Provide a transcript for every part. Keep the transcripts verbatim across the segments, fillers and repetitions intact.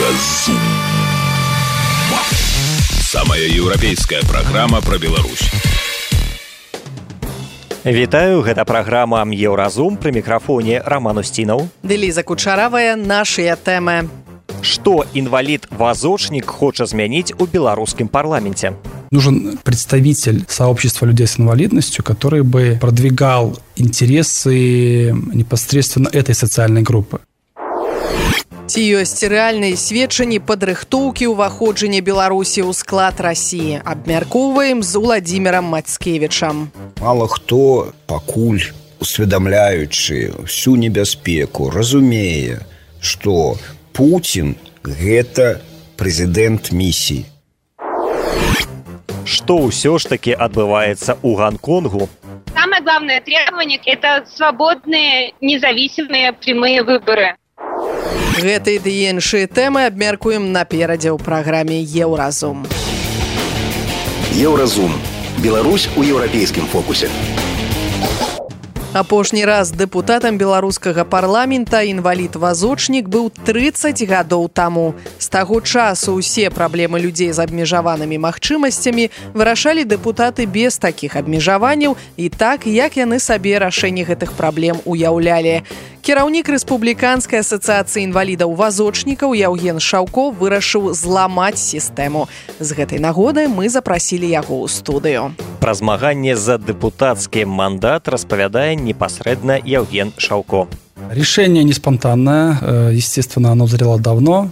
Еўразум. Самая еўрапейская праграма пра Беларусь. Вітаю, гэта праграма Еўразум, пры мікрафоне Роман Устинов. Ліза Кучаравая, нашыя тэмы. Што інвалід-вазочнік хоча змяніць у беларускім парламенце? Нужен представитель сообщества людей с инвалидностью, который бы продвигал интересы непосредственно этой социальной группы. Ці ёсць рэальныя сведчанні падрыхтоўкі ўваходжання Беларусі ў склад Расіі? Абмяркоўваем з Уладзімірам Мацкевічам. Мало хто пакуль, усведамляючы всю небяспеку, разумее, што Путін – гэта прэзідэнт місіі. Што ўсё ж таки адбываецца ў Гонконгу? Самое главное требование – это свободные, независимые прямые выборы. Гэтай ды іншыя тэмы абмяркуем наперадзе ў праграме Еўразум. Еўразум. Беларусь у еўрапейскім фокусе. Апошні раз дэпутатам беларускага парламента інвалід-вазочнік быў трыццаць гадоў таму. З таго часу ўсе праблемы людзей з абмежаванымі магчымасцямі вырашалі дэпутаты без такіх абмежаванняў і так, як яны сабе рашэнне гэтых праблем уяўлялі. Кіраўнік Рэспубліканскай асацыяцыі інвалідаў-вазочнікаў Яўген Шаўко вырашыў зламаць сістэму. З гэтай нагоды мы запрасілі яго ў студыю. Пра змаганне за дэпутацкі мандат распавядае непасрэдна Яўген Шаўко. Решение не спонтанное, естественно, оно зрело давно.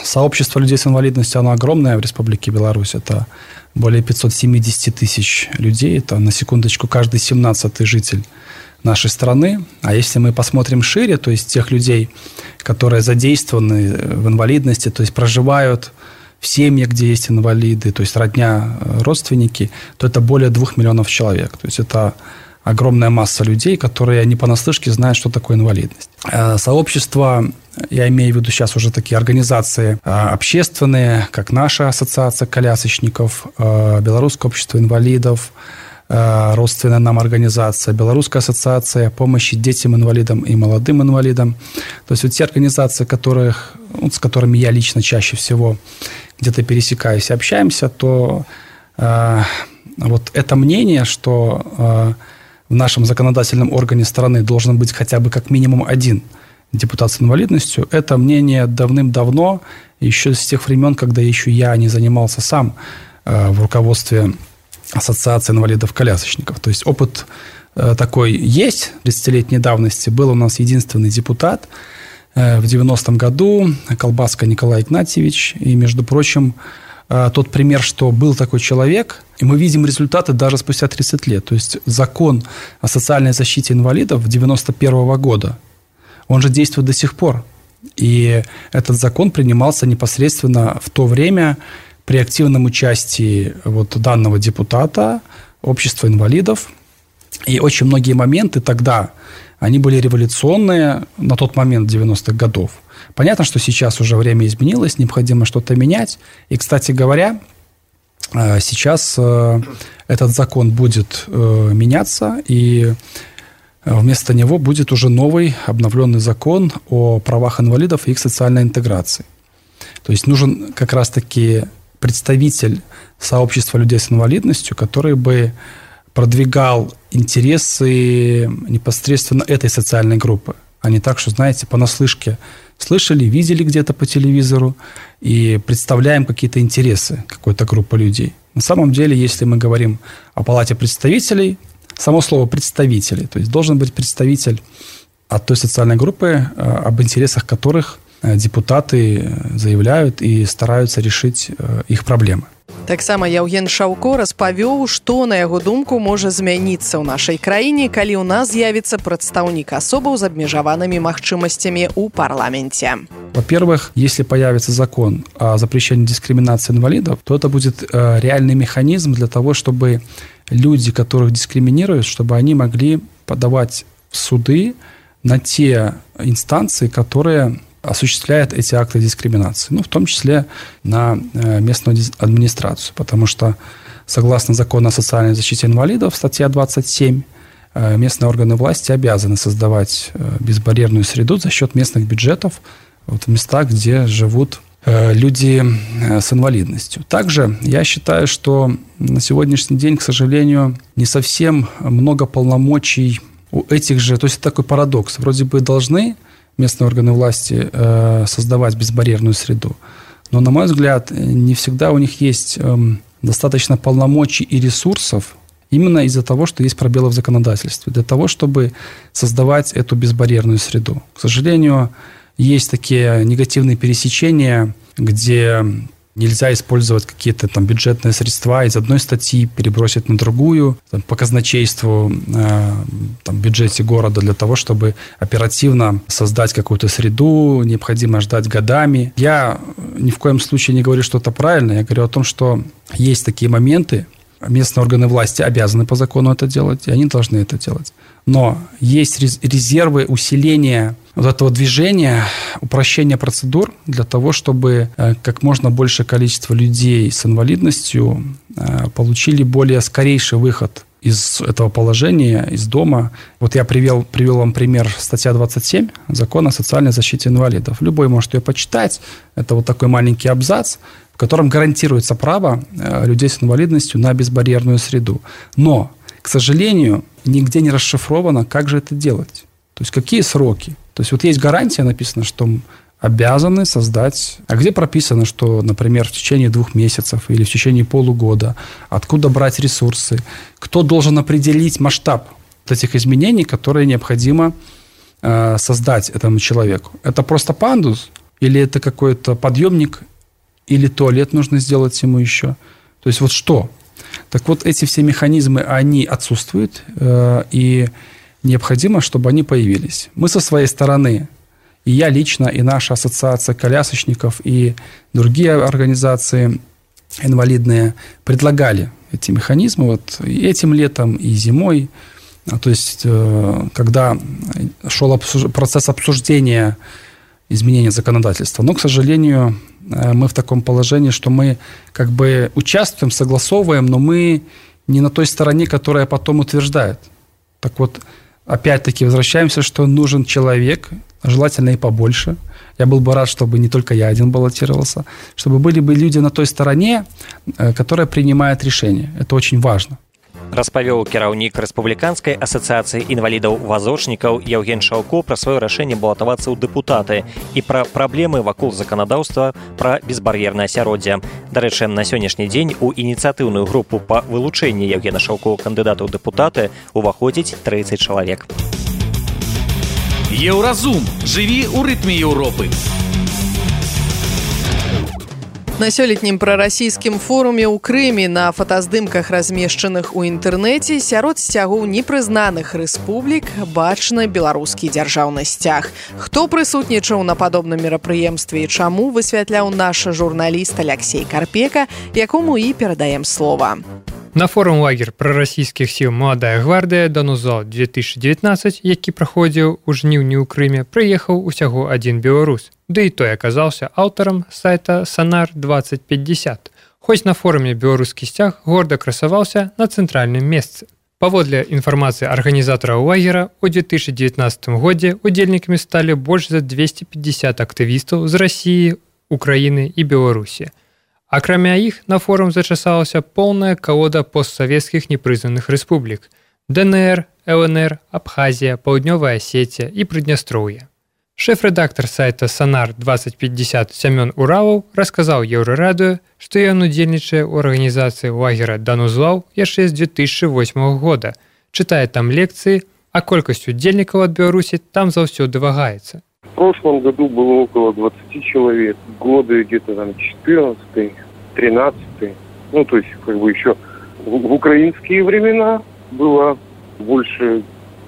Сообщество людей с инвалидностью, оно огромное в Республике Беларусь. Это более пятьсот семьдесят тысяч людей. Это, на секундочку, каждый семнадцатый житель нашей страны. А если мы посмотрим шире, то есть тех людей, которые задействованы в инвалидности, то есть проживают в семьях, где есть инвалиды, то есть родня, родственники, то это более двух миллионов человек. То есть это огромная масса людей, которые не понаслышке знают, что такое инвалидность. Сообщества, я имею в виду сейчас уже такие организации общественные, как наша ассоциация колясочников, Белорусское общество инвалидов, родственная нам организация, Белорусская ассоциация помощи детям-инвалидам и молодым инвалидам. То есть вот те организации, которых, ну, с которыми я лично чаще всего где-то пересекаюсь и общаемся, то э, вот это мнение, что э, в нашем законодательном органе страны должен быть хотя бы как минимум один депутат с инвалидностью, это мнение давным-давно, еще с тех времен, когда еще я не занимался сам э, в руководстве Ассоциации инвалидов-колясочников. То есть опыт э, такой есть тридцатилетней давности. Был у нас единственный депутат э, в девяностом году, Колбаска Николай Игнатьевич. И, между прочим, э, тот пример, что был такой человек, и мы видим результаты даже спустя тридцать лет. То есть закон о социальной защите инвалидов девяносто первого года, он же действует до сих пор. И этот закон принимался непосредственно в то время при активном участии вот данного депутата, общества инвалидов. И очень многие моменты тогда, они были революционные на тот момент девяностых годов. Понятно, что сейчас уже время изменилось, необходимо что-то менять. И, кстати говоря, сейчас этот закон будет меняться, и вместо него будет уже новый обновленный закон о правах инвалидов и их социальной интеграции. То есть нужен как раз-таки представитель сообщества людей с инвалидностью, который бы продвигал интересы непосредственно этой социальной группы, а не так, что, знаете, понаслышке слышали, видели где-то по телевизору и представляем какие-то интересы какой-то группы людей. На самом деле, если мы говорим о палате представителей, само слово «представители», то есть должен быть представитель от той социальной группы, об интересах которых депутаты заявляют и стараются решить их проблемы. Таксама Яўген Шаўко распавёў, што, на яго думку, можа змяніцца ў нашай краіне, калі ў нас з'явіцца прадстаўнік асобаў з абмежаванымі магчымасцямі ў парламенце. Во-первых, если появится закон о запрещении дискриминации инвалидов, то это будет реальный механизм для того, чтобы люди, которых дискриминируют, чтобы они могли подавать в суды на те инстанции, которые осуществляет эти акты дискриминации, ну, в том числе на местную администрацию, потому что, согласно закону о социальной защите инвалидов, статья двадцать семь, местные органы власти обязаны создавать безбарьерную среду за счет местных бюджетов вот в местах, где живут люди с инвалидностью. Также я считаю, что на сегодняшний день, к сожалению, не совсем много полномочий у этих же, то есть это такой парадокс. Вроде бы должны местные органы власти создавать безбарьерную среду, но, на мой взгляд, не всегда у них есть достаточно полномочий и ресурсов именно из-за того, что есть пробелы в законодательстве, для того, чтобы создавать эту безбарьерную среду. К сожалению, есть такие негативные пересечения, где нельзя использовать какие-то там бюджетные средства из одной статьи, перебросить на другую, там, по казначейству э, там, в бюджете города для того, чтобы оперативно создать какую-то среду, необходимо ждать годами. Я ни в коем случае не говорю, что это правильно, я говорю о том, что есть такие моменты, местные органы власти обязаны по закону это делать, и они должны это делать. Но есть резервы усиления вот этого движения, упрощения процедур для того, чтобы как можно большее количество людей с инвалидностью получили более скорейший выход из этого положения, из дома. Вот я привел, привел вам пример, статья двадцать семь Закона о социальной защите инвалидов. Любой может ее почитать. Это вот такой маленький абзац, в котором гарантируется право людей с инвалидностью на безбарьерную среду. Но, к сожалению, нигде не расшифровано, как же это делать. То есть какие сроки. То есть вот есть гарантия, написано, что обязаны создать... А где прописано, что, например, в течение двух месяцев или в течение полугода, откуда брать ресурсы, кто должен определить масштаб этих изменений, которые необходимо э, создать этому человеку? Это просто пандус? Или это какой-то подъемник? Или туалет нужно сделать ему еще? То есть вот что? Так вот, эти все механизмы, они отсутствуют, э, и необходимо, чтобы они появились. Мы со своей стороны, и я лично, и наша ассоциация колясочников, и другие организации инвалидные предлагали эти механизмы вот и этим летом, и зимой. То есть, э, когда шел обсуж... процесс обсуждения изменения законодательства. Но, к сожалению, мы в таком положении, что мы как бы участвуем, согласовываем, но мы не на той стороне, которая потом утверждает. Так вот, опять-таки возвращаемся, что нужен человек, желательно и побольше. Я был бы рад, чтобы не только я один баллотировался, чтобы были бы люди на той стороне, которая принимает решения. Это очень важно. Распавёў кіраўнік рэспубліканскай асацыяцыі інвалідаў-вазочнікаў Яўген Шаўко пра сваё рашэнне балатавацца ў дэпутаты і пра праблемы вакол заканадаўства пра безбар'ернае асяроддзе. Дарэчы, на сённяшні дзень у ініцыятыўную групу па вылучэнні Яўгена Шаўко кандыдата ў дэпутаты уваходзіць трыццаць чалавек. Еўразум. Жыві ў рытме Еўропы. На сёлетнім прарасійскім форуме ў Крыме на фотаздымках, размешчаных у інтэрнэце, сярод сцягоў непрызнаных рэспублік бачны беларускі дзяржаўны сцяг. Хто прысутнічаў на падобным мерапрыемстве і чаму, высвятляў наш журналіст Алексей Карпека, якому і перадаем слова. На форум лагер прарасійскіх сіл «Маладая гвардыя» «Данузал две тысячи девятнадцать», які праходзіў у жніўні ў Крыме, прыехаў усяго адзін беларус. Ды і той аказаўся аўтарам сайта «Сонар двадцать пятьдесят». Хоць на форуме беларускі сцяг горда красаваўся на цэнтральным месцы. Паводле інфармацыі арганізатараў лагера, у две тысячи девятнадцатым годзе удзельнікамі сталі больш за двести пятьдесят актывістаў з Расіі, Украіны і Беларусі. Акрамя іх, на форум зачасалася поўная калода постсавецкіх непрызнаных рэспублік – ДНР, ЛНР, Абхазія, Паўднёвая Асетія і Прыднястроўе. Шэф-рэдактар сайта «Сонар двадцать пятьдесят» Сямён Уралаў расказаў Еўрарадыё, што ён удзельнічае ў арганізацыі лагера «Данузлаў» яшчэ з две тысячи восьмого года, чытае там лекцыі, а колькасць удзельнікаў ад Беларусі там заўсёды вагаецца. В прошлом году было около двадцати человек, годы где-то там четырнадцатый, тринадцатый, ну то есть как бы еще в, в украинские времена было больше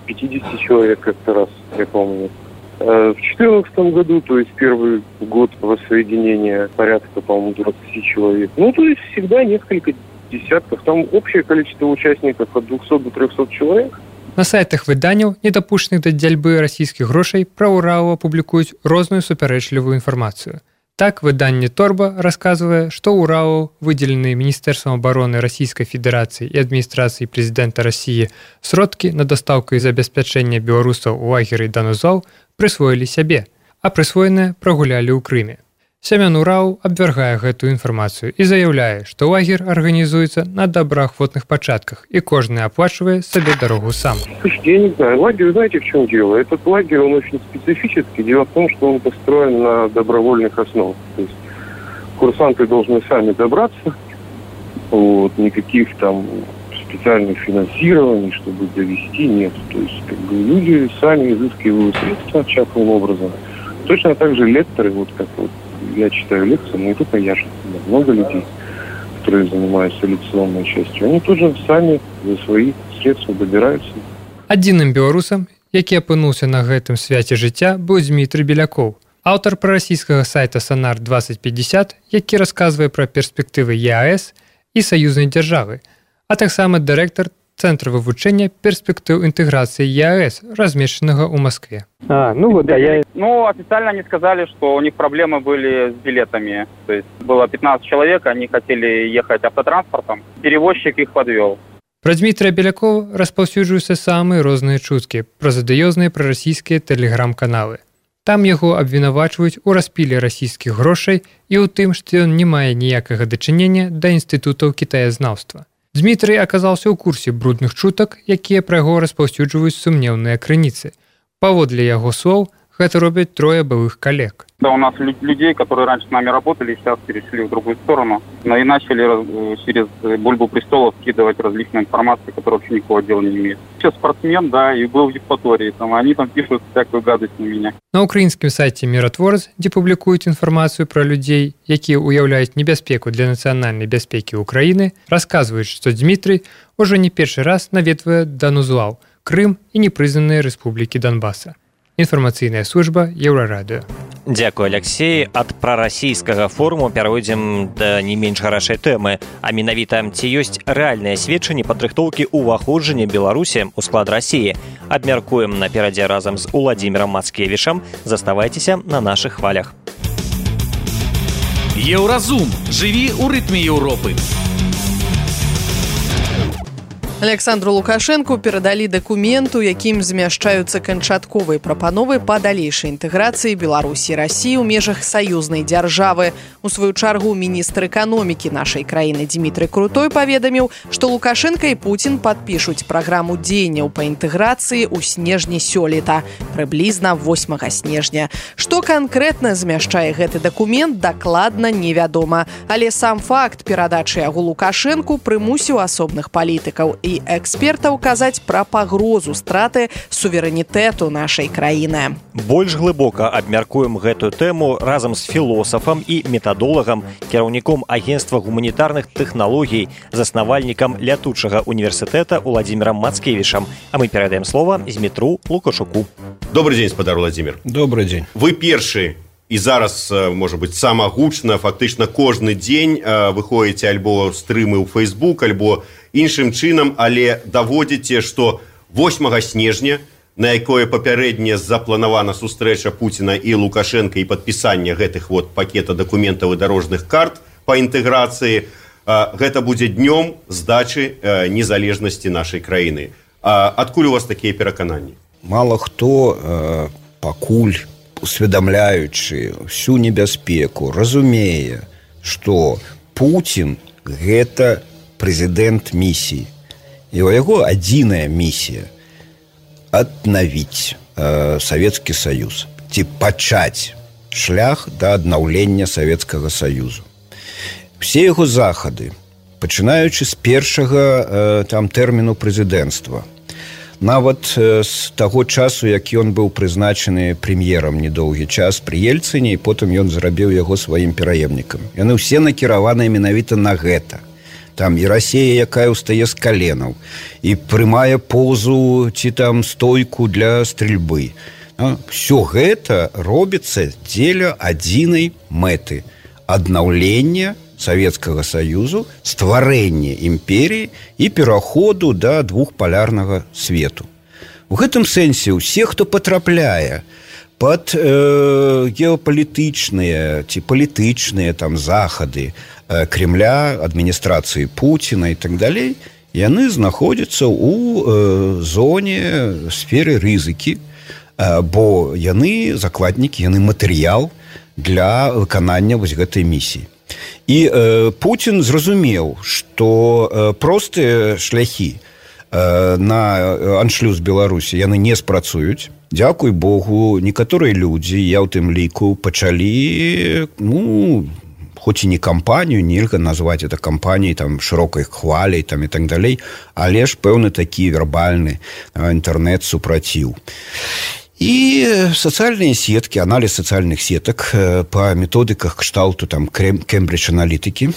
пятидесяти человек как-то раз, я помню. А в четырнадцатом году, то есть первый год воссоединения, порядка, по-моему, двадцати человек. Ну то есть всегда несколько десятков, там общее количество участников от двухсот до трехсот человек. На сайтах выданняў, недапушчаных да дзяльбы расійскіх грошай, пра Уралова публікуюць розную супярэчлівую інфармацыю. Так, выданне «Торба» расказвае, што Уралов, выдзелены Міністэрствам абароны Расійскай Федэрацыі і адміністрацыі прэзідэнта Расіі, сродкі на дастаўку і забеспячэнне беларусаў у лагеры «Данузал» прысвоілі сябе. а прысвоеныя прагулялі ў Крыме. Сямян Ураў абвяргае гэтую інфармацыю і заяўляе, што лагер арганізуецца на добраахвотных пачатках, і кожны аплачвае сабе дарогу сам. Слушайте, я не знаю, лагерь, знаете, в чем дело? Этот лагерь, он очень специфический. Дело в том, что он построен на добровольных основах. То есть курсанты должны сами добраться, вот, никаких там специальных финансирований, чтобы довести, нет. То есть как бы люди сами изыскивают средства частным образом. Точно так же лекторы, вот как вот я читаю лекции, но не только я же, много людей, которые занимаются лекционной частью, они тоже сами за свои средства добираются. Адзіным беларусам, які апынуўся на гэтым свяце жыцця, быў Дмітрый Белякоў, аўтар прарасійскага сайта Сонар двадцать пятьдесят, які расказвае пра перспектывы е а эс і саюзнай дзяржавы, а таксама дырэктар Центра вывучэння перспектыў інтэграцыі е а эс, размешчанага ў Москве. А, ну вот, да, я... Ну, официально они сказали, что у них проблемы были с билетами. То есть было пятнадцать человек, они хотели ехать автотранспортом, перевозчик их подвел. Пра Дмітрыя Белякова распаўсюджваюцца самыя розныя чуткі пра задыёзныя прарасійскія тэлеграм-каналы. Там яго абвінавачваюць у распіле расійскіх грошай і ў тым, што ён не мае ніякага дачынення да інстытутаў кітаязнаўства. Дмітрый аказаўся ў курсе брудных чутак, якія пра яго распаўсюджваюць сумнеўныя крыніцы. Паводле яго слоў, гэта робяць трое былых коллег. Да, у нас людей, которые раньше с нами работали, сейчас перешли в другую сторону, но и начали через бульбу престолов скидывать различную информацию, которая вообще никакого дела не имеет. Сейчас спортсмен, да, и был в Евпатории, там, они там пишут всякую гадость на меня. На украінскім сайце «Миротворец», дзе публікуюць інфармацыю пра людзей, якія ўяўляюць небяспеку для нацыянальнай бяспекі ўкраіны, расказваюць, што Дмітрый ужо не першы раз наведвае Данузлаў, Крым і непрызнаныя рэспублікі Донбаса. Інфармацыйная служба Еўрарадыё. Дзякуй, Алексей. Ад прарасійскага форуму перайдзем да не менш гарачай тэмы, а менавіта ці ёсць рэальныя сведчанні падрыхтоўкі ўваходжання Беларусі ў склад Расіі. Абмяркуем наперадзе разам з Уладзімірам Мацкевічам. Заставайцеся на нашых хвалях. Еўразум. Жыві ў рытме Еўропы. Александру Лукашенку перадалі дакумент, у якім змяшчаюцца канчатковыя прапановы па далейшай інтэграцыі Беларусі і Расіі ў межах саюзнай дзяржавы. У сваю чаргу міністр эканомікі нашай краіны Дмітрый Крутой паведаміў, што Лукашенка і Пуцін падпішуць праграму дзеянняў па інтэграцыі ў снежні сёлета, прыблізна восьмага снежня. Што канкрэтна змяшчае гэты дакумент, дакладна невядома. Але сам факт перадачы яго Лукашенку прымусіў асобных палітыкаў і экспертаў казаць пра пагрозу страты суверэнітэту нашай краіны. Больш глыбока абмяркуем гэтую тэму разам з філосафам і метадолагам, кіраўніком агенцтва гуманітарных тэхналогій, заснавальнікам лятучага універсітэта Уладзімірам Мацкевічам. А мы перадаем слова Змітру Лукашуку. Добрый день, спадар Владимир. Добрый день. Вы першы і зараз, можа быць, самагучна, фактычна кожны дзень выходзіце альбо стрымы ў Facebook, альбо іншым чынам, але даводзіце, што восьмага снежня, на якое папярэдне запланавана сустрэча Пуціна і Лукашенка і падпісанне гэтых вот пакета дакументаў і дарожных карт па інтэграцыі, гэта будзе днём здачы незалежнасці нашай краіны. Адкуль у вас такія перакананні? Мала хто пакуль усведамляючы всю небяспеку, разумее, што Пуцін – гэта прэзідэнт місіі. І у яго адзіная місія – аднавіць э, Савецкі Саюз, ці пачаць шлях да аднаўлення Савецкага Саюзу. Все яго захады, пачынаючы з першага э, там тэрміну прэзідэнцтва, нават з таго часу, як ён быў прызначаны прэм'ерам недоўгі час пры Ельцыне, і потым ён зрабіў яго сваім пераемнікам. Яны ўсе накіраваныя менавіта на гэта. Там і Расія, якая ўстае з каленаў, і прымае позу ці там стойку для стрельбы. Всё гэта робіцца дзеля адзінай мэты – аднаўлення Савецкага Саюзу, стварэнне імперіі і пераходу да двухпалярнага свету. У гэтым сэнсе ўсе, хто патрапляе пад э, геапалітычныя ці палітычныя там захады э, Кремля, адміністрацыі Пуціна і так далей, яны знаходзяцца ў э, зоне сферы рызыкі, бо яны закладнікі, яны матэрыял для выканання вось гэтай місіі. І э, Путін зразумеў, што э, простыя шляхі э, на аншлюз Беларусі яны не спрацуюць. Дзякуй Богу, некаторыя людзі, я ў тым ліку, пачалі, ну, хоць і не кампанію, нельга назваць это кампаніяй там шырокай хваляй там і так далей, але ж пэўны такі вербальны інтэрнэт супраціў. І сацыяльныя сеткі, аналіз сацыяльных сетак па методыках кшталту там Кембридж-аналітыкі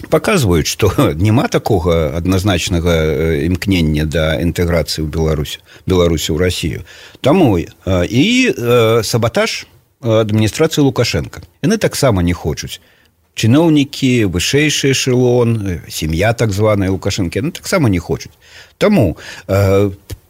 паказваюць, што няма такога адназначнага імкнення да інтэграцыі ў Беларусь, Беларусі ў Расію. Таму і сабатаж адміністрацыі Лукашенка. Яны таксама не хочуць. Чыноўнікі, вышэйшы эшелон, сям'я так званая Лукашэнкі, яны таксама не хочуць. Таму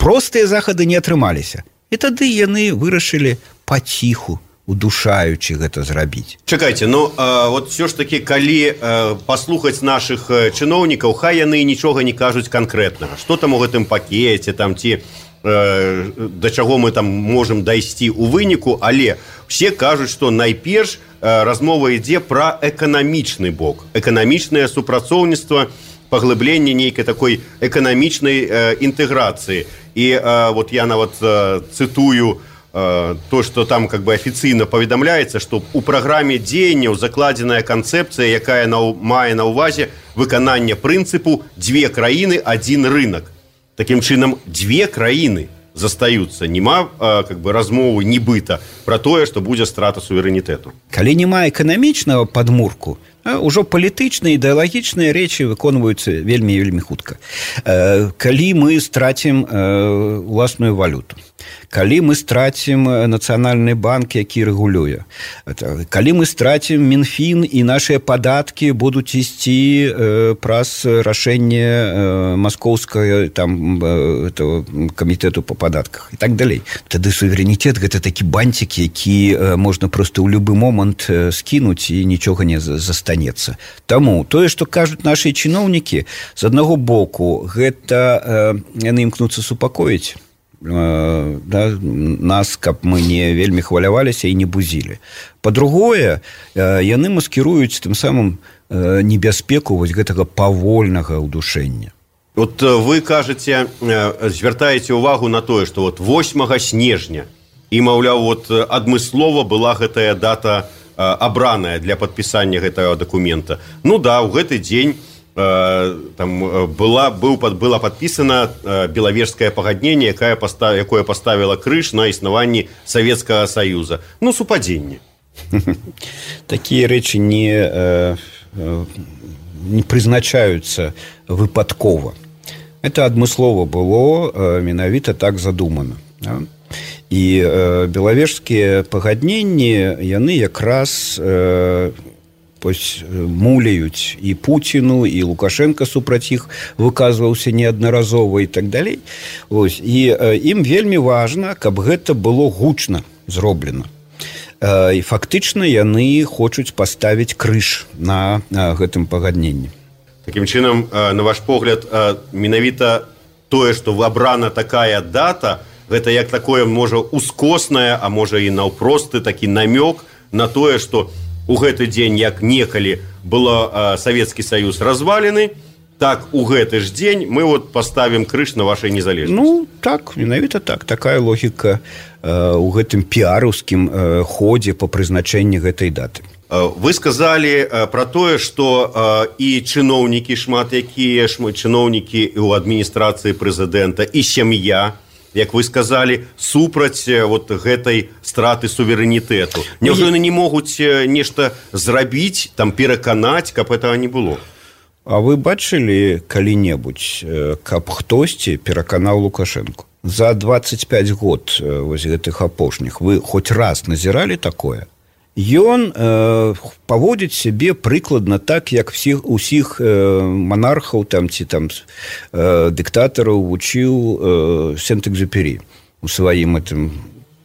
простыя захады не атрымаліся. І тады яны вырашылі паціху, удушаючы гэта зрабіць. Чакайце, ну э, вот все ж таки, калі э, паслухаць нашых э, чыноўнікаў, хай яны нічога не кажуць канкрэтнага. Што там у гэтым пакеце, там ці э, да чаго мы там можам дайсці ў выніку, але все кажуць, што найперш э, размова ідзе пра эканамічны бок, эканамічнае супрацоўніцтва, паглыбленне нейкай такой эканамічнай э, інтэграцыі. І э, вот я нават э, цытую э, то, што там как бы афіцыйна паведамляецца, што ў праграме дзеянняў закладзеная канцэпцыя, якая на, мае на ўвазе выкананне прынцыпу «две краіны, адзін рынак». Такім чынам, две краіны застаюцца. Нема э, как бы размовы нібыта пра тое, што будзе страта суверэнітэту. Калі няма эканамічнага падмурку, ўжо палітычныя, ідэалагічныя рэчы выконваюцца вельмі і вельмі хутка. Калі мы страцім уласную валюту, калі мы страцім нацыянальны банк, які рэгулюе, калі мы страцім Мінфін і нашыя падаткі будуць ісці праз рашэнне маскоўскага там камітэту па падатках і так далей. Тады суверэнітэт гэта такі бантик, які можна проста ў любы момант скінуць і нічога не застанецца. Таму тое, што кажуць нашы чыноўнікі, з аднаго боку гэта э, яны імкнуцца супакоіць э, да, нас, каб мы не вельмі хваляваліся і не бузілі. Па-другое, э, яны маскіруюць тым самым э, небяспеку вось гэтага павольнага ўдушэння. Вот вы кажаце, э, звяртаеце ўвагу на тое, што вот восьмага снежня і, маўляў, вот адмыслова была гэтая дата абраная для падпісання гэтага дакумента. Ну да, ў гэты дзень э, там была, быў, была падпісана э, Белавежскае пагадненне, якое, постав, якое паставіла крыж на існаванні Савецкага Саюза. Ну, супадзенне. Такія рэчы не, э, не прызначаюцца выпадкова. Это адмыслова было, э, менавіта так задумана. Да? І э, белавежскія пагадненні, яны якраз э, муляюць і Пуціну, і Лукашенко супраць іх выказваўся неаднаразова і так далей. Ось. І э, ім вельмі важна, каб гэта было гучна зроблена. Э, і фактычна яны хочуць паставіць крыж на э, гэтым пагадненні. Такім чынам, э, на ваш погляд, э, менавіта тое, што абрана такая дата, гэта як такое, можа, ускоснае, а можа і наўпросты такі намёк на тое, што у гэты дзень, як некалі было э, Савецкі Саюз развалены, так у гэты ж дзень мы вот паставім крыж на вашай незалежнасці. Ну, так, менавіта так. Такая логіка э, у гэтым піараўскім э, ходзе па прызначэнні гэтай даты. Вы сказалі э, пра тое, што э, і чыноўнікі шмат якія, шмат чыноўнікі ў адміністрацыі прэзідэнта, і сям'я, як вы сказалі, супраць вот гэтай страты суверэнітэту. Няўжо яны не могуць нешта зрабіць, там пераканаць, каб этого не было? А вы бачылі калі-небудзь, каб хтосьці пераканаў Лукашэнку? За двадцать пять год вось гэтых апошніх вы хоць раз назіралі такое? Ён э, паводзіць сябе прыкладна так, як всіх, усіх э, манархаў там, ці там э, дыктатараў вучыў э, Сент-Экзюпері у сваім этим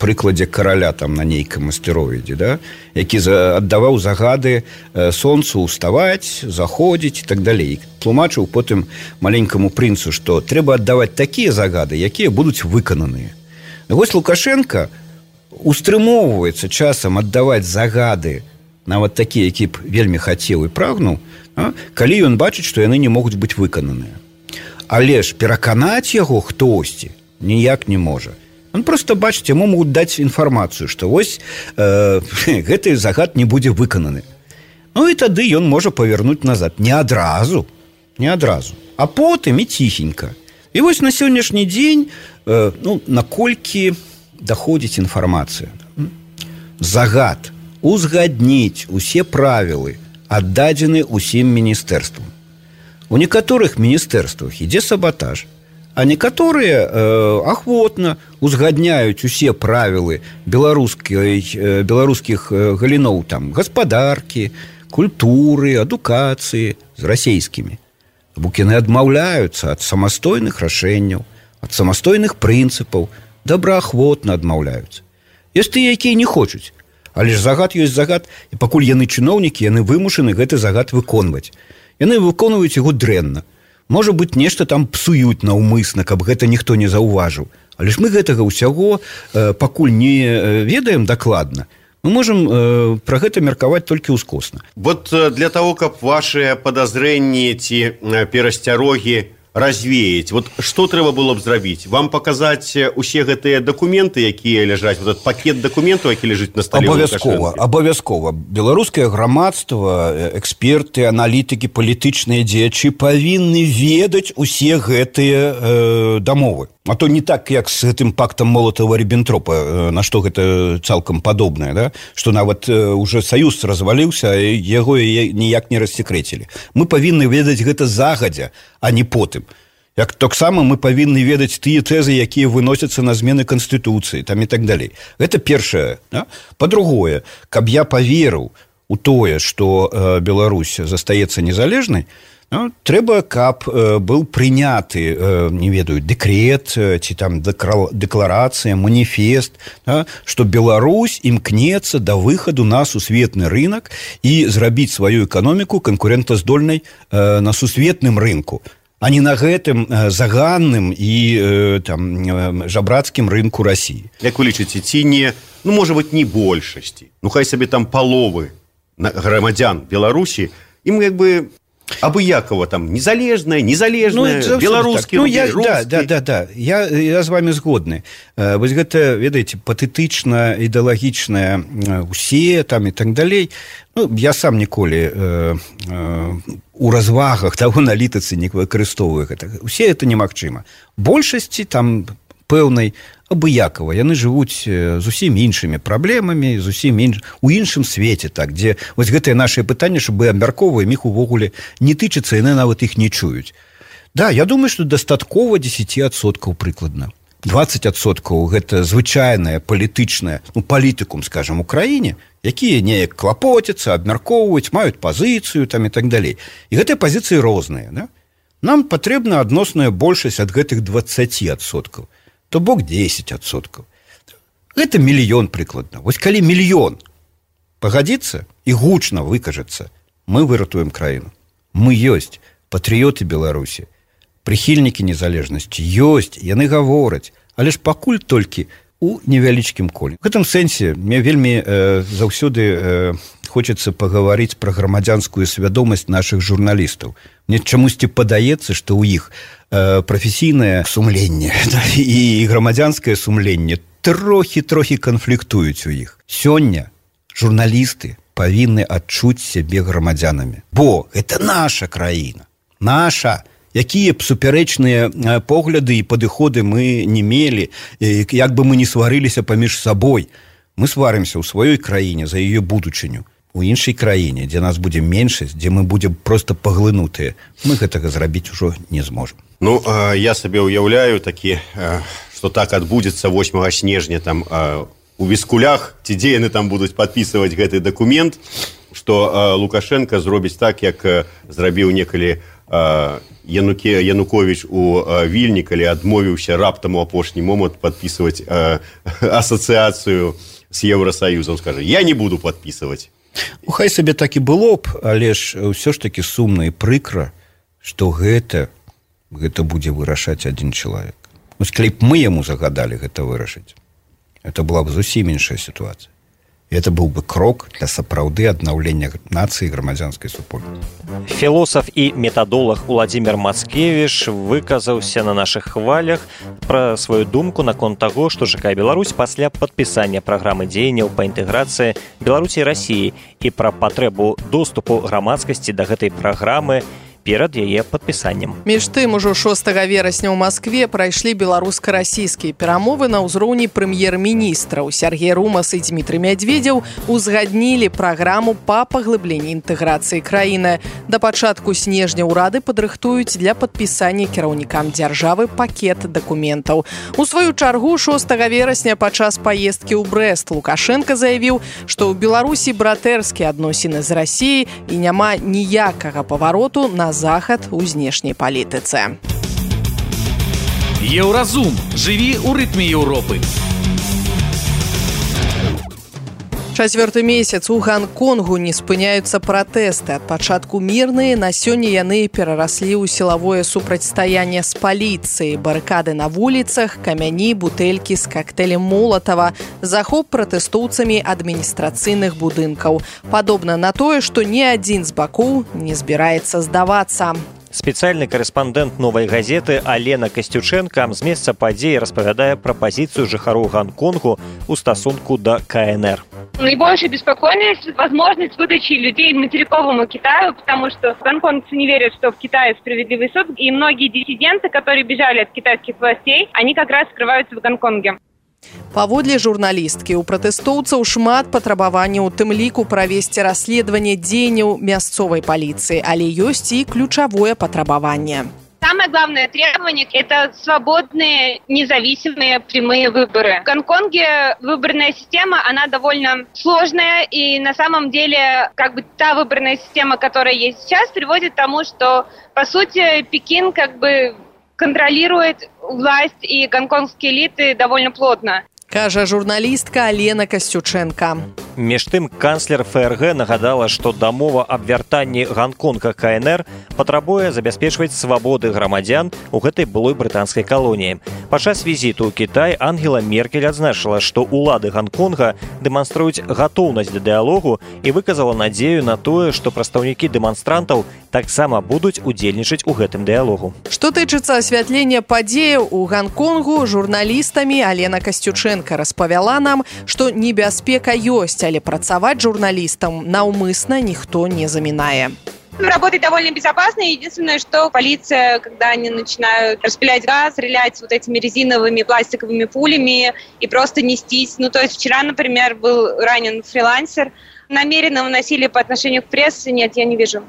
прыкладзе караля там на нейкам астэроіде, да? Які за, аддаваў загады э, сонцу ўставаць, заходзіць і так далей. Тлумачыў потым маленькаму прынцу, што трэба аддаваць такія загады, якія будуць выкананыя. Вось Лукашенко устрымоўваецца часам аддаваць загады нават такія, які б вельмі хацеў і прагнуў, а, калі ён бачыць, што яны не могуць быць выкананыя. Але ж пераканаць яго хтосьці ніяк не можа. Он просто бачыць, яму могуць даць інфармацыю, што вось э, гэты загад не будзе выкананы. Ну і тады ён можа павярнуць назад. Не адразу, не адразу, а потым і ціхенька. І вось на сённяшні дзень, э, ну, наколькі даходзіць інфармацыя. Загад узгадніць усе правілы аддадзены ўсім міністэрствам. У некаторых міністэрствах ідзе сабатаж, а некаторыя э, ахвотна узгадняюць усе правілы беларускай, э, беларускіх э, галіноў там, гаспадаркі, культуры, адукацыі з расейскімі. Бо яны адмаўляюцца ад самастойных рашэнняў, ад самастойных прынцыпаў, добраахвотна адмаўляюцца. Ёсць тыя, якія не хочуць, але ж загад ёсць загад, і пакуль яны чыноўнікі, яны вымушаны гэты загад выконваць. Яны выконваюць яго дрэнна. Можа быць, нешта там псуюць наўмысна, каб гэта ніхто не заўважыў. Але ж мы гэтага ўсяго э, пакуль не э, ведаем дакладна. Мы можам э, пра гэта меркаваць толькі ўскосна. Вот э, для того, каб ваши падазрэнні ці э, перасцярогі развеять. Вот что трэба было б зрабіць? Вам показать усе гэтыя документы, якія ляжаць, вот этот пакет документаў, які ляжыць на столе? Абавязкова, абавязкова. Беларускае грамадства, эксперты, аналітыкі, палітычныя дзеячы павінны ведаць усе гэтыя э, дамовы. А то не так, як з гэтым пактам Молотава-Ріббентропа, на што гэта цалкам падобнае, да? Што нават э, уже саюз разваліўся, і яго ніяк не рассекрэцілі. Мы павінны ведаць гэта загадзя, а не потым. Як таксама мы павінны ведаць тыя тэзы, якія выносяцца на змены Канстытуцыі, там і так далей. Гэта першае. Да? Па-другое, каб я паверыў у тое, што э, Беларусь застаецца незалежнай, ну, трэба, каб э, быў прыняты, э, не ведаю, дэкрет, э, ці там дэкларацыя, маніфест, да, што Беларусь імкнецца да выхаду на сусветны рынок і зрабіць сваю эканоміку канкурэнтаздольнай э, на сусветным рынку, а не на гэтым э, заганным і э, там, э, жабрацкім рынку Расіі. Як вы лічыце, ці не, ну, можа быць, не большасці, ну, хай сабе там паловы грамадзян Беларусі, ім як бы абыякова там незалежная, незалежная, ну, беларускі, ну, я, да, да, да, да. Я, я з вами згодны. Э, вось гэта, ведаеце, патэтычна, ідэалагічная, э, усе там і так далей. Ну, я сам ніколі э, э, у развагах таго аналітыцы не выкарыстоўваю гэта. Усе это немагчыма. Большасці там пэўнай абыякава. Яны жывуць зусім іншымі праблемамі, зусім інш... у іншым свеце, так, дзе вось гэтыя нашыя пытанні, щоб мы абмяркоўваем іх увогуле не тычыцца, яны нават іх не чуюць. Да, я думаю, што дастаткова дзесяць адсоткаў прыкладна. дваццаць адсоткаў гэта звычайная палітычная, ну, палітыкум, скажем, у краіне, якія неяк клапоцяцца, абмяркоўваюць, маюць пазіцыю там і так далей. І гэтыя пазіцыі розныя, да? Нам патрэбна адносная большасць ад гэтых дваццаць адсоткаў. То бок дзесяць адсоткаў. Гэта мільён прыкладна. Вось калі мільён пагадзіцца і гучна выкажацца, мы выратуем краіну. Мы ёсць патрыёты Беларусі, прыхільнікі незалежнасці, ёсць, яны гавораць, але ж пакуль толькі у невялічкім коле. В гэтым сэнсе мне вельмі э, заўсёды э, хочацца пагаварыць пра грамадзянскую свядомасць нашых журналістаў. Мне чамусьці падаецца, што ў іх э, прафесійнае сумленне да, і грамадзянскае сумленне трохі-трохі канфліктуюць у іх. Сёння журналісты павінны адчуць сябе грамадзянамі. Бо гэта наша краіна, наша. Якія б супярэчныя погляды і падыходы мы не мелі, як бы мы не сварыліся паміж сабой. Мы сварымся ў сваёй краіне за яе будучыню. У іншай краіне, дзе нас будзе меншасць, дзе мы будзем проста паглынутыя, мы гэтага зрабіць ужо не зможам. Ну, я сабе ўяўляю такі, што так адбудзецца восьмага снежня там у Віскулях, ці дзе яны там будуць падпісваць гэты дакумент, што Лукашенко зробіць так, як зрабіў некалі Януке, Янукович у Вільні, калі адмовіўся раптам у апошні момант падпісваць асацыяцыю з Еўрасаюзам, скажа, я не буду падпісваць. Ну, хай сабе так і было б, але ж ўсё ж такі сумна і прыкра, што гэта, гэта будзе вырашаць адзін чалавек. Вось калі б мы яму загадалі гэта вырашыць, это была бы зусім іншая ситуация. Это был бы крок для сапраўды аднаўлення нацыі і грамадзянскай супольнасці. Філосаф і метадолог Уладзімір Мацкевіч выказаўся на нашых хвалях пра сваю думку наконт таго, што чакае Беларусь пасля падпісання праграмы дзеянняў па інтэграцыі Беларусі і Расіі і пра патрэбу доступу грамадскасці да гэтай праграмы перад яе падпісаннем. Між тым, ужо шостага верасня ў Маскве прайшлі беларуска-расійскія перамовы на ўзроўні прэм'ер-міністраў. Сергей Румас і Дмітрый Мядведзеў узгаднілі праграму па паглыбленні інтэграцыі краіны. Да пачатку снежня ўрады падрыхтуюць для падпісання кіраўнікам дзяржавы пакет дакументаў. У сваю чаргу шостага верасня падчас паездкі ў Брэст Лукашенко заявіў, што ў Беларусі братэрскія адносіны з Расіяй і няма ніякага павароту на захад у знешняй палітыцы. Еўразум. Жыві ў рытме Еўропы. Чацвёрты месяц у Гонконгу не спыняюцца пратэсты. Ад пачатку мірныя, на сёння яны перараслі ў сілавое супрацьстаянне з паліцыяй. Барыкады на вуліцах, камяні, бутэлькі з кактэлем Молатава, захоп пратэстоўцамі адміністрацыйных будынкаў. Падобна на тое, што ні адзін з бакоў не збіраецца здавацца. Спецыяльны карэспандэнт «Новай газеты» Алена Касцючэнка з месца падзеі распавядае пра пазіцыю жыхароў Гонконгу ў стасунку да ка эн эр. Наибольшая беспокойность – возможность выдачи людей материковому Китаю, потому что гонконгцы не верят, что в Китае справедливый суд, и многие диссиденты, которые бежали от китайских властей, они как раз скрываются в Гонконге. Паводле журналісткі, у пратэстоўцаў шмат патрабаванняў, у тым ліку правесці расследаванне дзеянняў мясцовай паліцыі, але ёсць і ключавое патрабаванне. Самое главное требование – это свободные, независимые прямые выборы. В Гонконге выборная система, она довольно сложная, и на самом деле как бы та выборная система, которая есть сейчас, приводит к тому, что, по сути, Пекин как бы контролирует власть и гонконгские элиты довольно плотно. Кажа журналістка Алена Касцючэнка. Між тым, канцлер эф эр гэ нагадала, што дамова аб вяртанні Гонконга ка эн эр патрабуе забяспечваць свабоды грамадзян у гэтай былой брытанскай калоніі. Падчас візіту ў Кітай Ангела Меркель адзначыла, што ўлады Гонконга дэманструюць гатоўнасць да дыялогу і выказала надзею на тое, што прадстаўнікі дэманстрантаў таксама будуць удзельнічаць у гэтым дыялогу. Што тычыцца асвятлення падзеяў у Гонконгу, журналістамі Алена Касцючэнка распавяла нам, што небяспека ёсць, але працаваць журналістам наўмысна ніхто не замінае. Работать довольно безопасно. Единственное, что полиция, когда они начинают распылять газ, стрелять вот этими резиновыми пластиковыми пулями и просто нестись. Ну, то есть вчера, например, был ранен фрилансер. Намеренного насилия по отношению к прессе нет, я не вижу.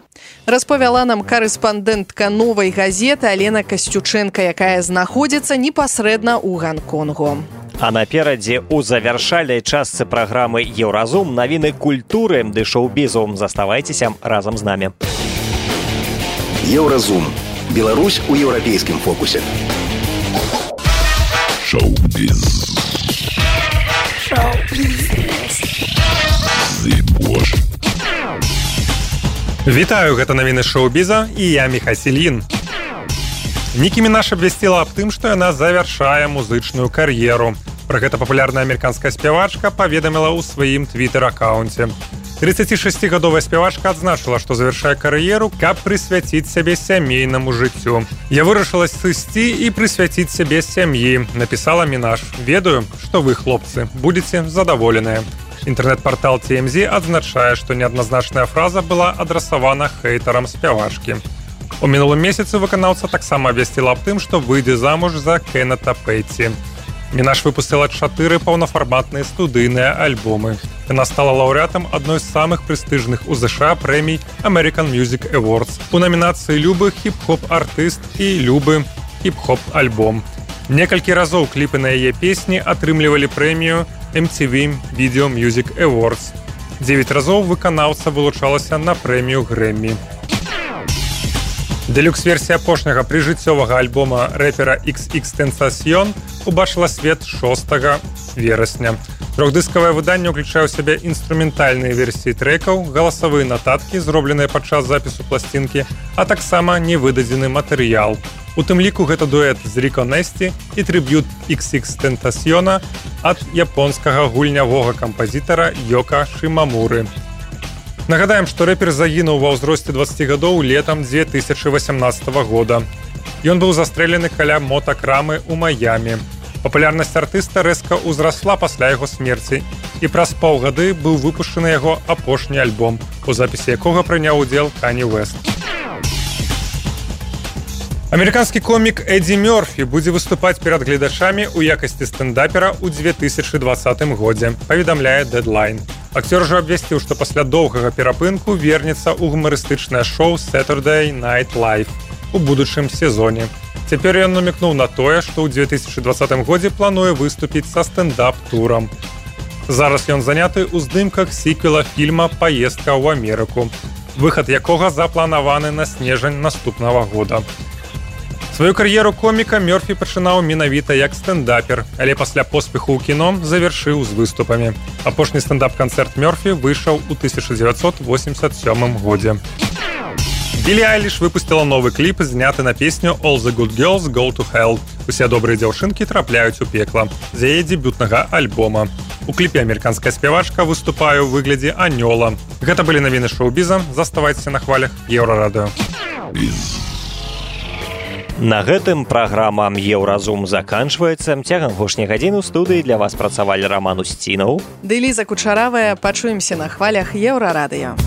Распавяла нам карэспандэнтка «Новай газеты» Алена Касцючэнка, якая знаходзіцца непасрэдна ў Гонконгу. А наперадзе ў завяршальнай частцы праграмы «Еўразум» навіны культуры ды шоу-бізу. Заставайцеся разам з намі. Еўразум. Беларусь у еўрапейскім фокусе. Шоу-біз. Шоу-біз. Вітаю, гэта навіны шоу-біза і я Міхась Ільін. Нікі Мінаш абвясціла аб тым, што яна завяршае музычную кар'еру. Пра гэта папулярная амерыканская спявачка паведаміла ў сваім твітэр-акаунце. трыццацішасцігадовая спявачка адзначыла, што завяршае кар'еру, каб прысвяціць сябе сямейнаму жыццю. Я вырашыла сысці і прысвяціць сябе сям'і, напісала Мінаш. Ведаю, што вы, хлопцы, будзеце задаволеныя. Інтэрнэт-партал ти эм зет адзначае, што неадназначная фраза была адрасавана хейтарам спявачкі. У мінулым месяцы выканаўца таксама абвясціла аб тым, што выйдзе замуж за Кеннета Пэтці. Мінаш выпусціла чатыры паўнафарматныя студыйныя альбомы. Яна стала лаўрэатам адной з самых прэстыжных у ЗША прэмій American Music Awards у намінацыі «Любы хіп-хоп-артыст» і «Любы хіп-хоп-альбом». Некалькі разоў кліпы на яе песні атрымлівалі прэмію эм ти ви Video Music Awards. Дзевяць разоў выканаўца вылучалася на прэмію Грэммі. Дэлюкс-версія апошняга прыжыццёвага альбома рэпера ікс ікс-Тентасьон убачыла свет шостага верасня. Трохдыскавае выданне ўключае ў сябе інструментальныя версіі трэкаў, галасавыя нататкі, зробленыя падчас запісу пласцінкі, а таксама невыдадзены матэрыял. У тым ліку гэта дуэт з Рико Несті і трыб'ют ікс ікс Тентасьона ад японскага гульнявога кампазітара Йока Шимамуры. Нагадаем, што рэпер загінуў ва ўзросце дваццаць гадоў летам дзве тысячы васямнаццатага года. Ён быў застрэлены каля мотакрамы ў Майамі. Папулярнасць артыста рэзка ўзрасла пасля яго смерці, і праз паўгады быў выпушчаны яго апошні альбом, у запісе якога прыняў удзел Кані Уэст. Амерыканскі комік Эдді Мёрфі будзе выступаць перад гледачамі ў якасці стендапера ў дзве тысячы дваццатым годзе, паведамляе Deadline. Акцёр жа абвясціў, што пасля доўгага перапынку вернецца ў гумарыстычнае шоу Saturday Night Live у будучым сезоне. Цяпер ён намекнуў на тое, што ў дзве тысячы дваццатым годзе плануе выступіць са стендап-турам. Зараз ён заняты ў здымках сіквела фільма «Паездка ў Амерыку», выхад якога запланаваны на снежань наступнага года. Сваю кар'еру коміка Мёрфі пачынаў менавіта як стендапер, але пасля поспеху ў кіно завяршыў з выступамі. Апошні стендап-канцэрт Мёрфі выйшаў у тысяча дзевяцьсот восемьдесят сёмым годзе. Білі Айліш выпусціла новы кліп, зняты на песню «All the good girls go to hell». Усе добрыя дзяўчынкі трапляюць у пекла з яе дэбютнага альбома. У кліпе амерыканская спявачка выступае ў выглядзе анёла. Гэта былі навіны шоу-біза. Заставайцеся на хвалях Еўрарадыё. На гэтым праграма «Еўразум» заканчваецца. Цягам апошняй гадзіны ў студыі для вас працавалі Раман Усцінаў ды Ліза Кучаравая. Пачуемся на хвалях Еўрарадыё.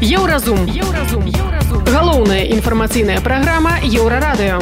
Еўразум. Еўразум. Еўразум. Галоўная інфармацыйная праграма Еўрарадыё.